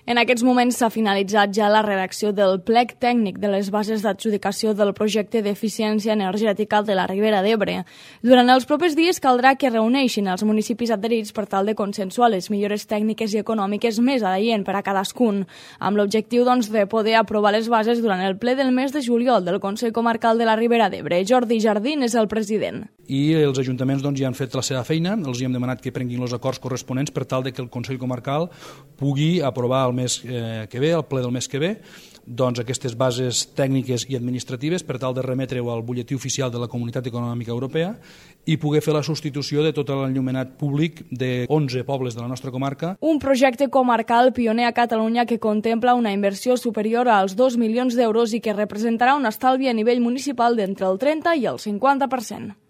En aquests moments s'ha finalitzat ja la redacció del plec tècnic de les bases d'adjudicació del projecte d'eficiència energètica de la Ribera d'Ebre. Durant els propers dies caldrà que reuneixin els municipis adherits per tal de consensuar les millores tècniques i econòmiques més adients per a cadascun, amb l'objectiu de poder aprovar les bases durant el ple del mes de juliol del Consell Comarcal de la Ribera d'Ebre. Jordi Jardín és el president. I els ajuntaments ja han fet la seva feina, els hem demanat que prenguin els acords corresponents per tal que el Consell Comarcal pugui aprovar el mes que ve, el ple del mes que ve, aquestes bases tècniques i administratives per tal de remetre-ho al butlletí oficial de la Comunitat Econòmica Europea i poder fer la substitució de tot l'enllumenat públic de 11 pobles de la nostra comarca. Un projecte comarcal pioner a Catalunya que contempla una inversió superior als 2 milions d'euros i que representarà un estalvi a nivell municipal d'entre el 30 i el 50%.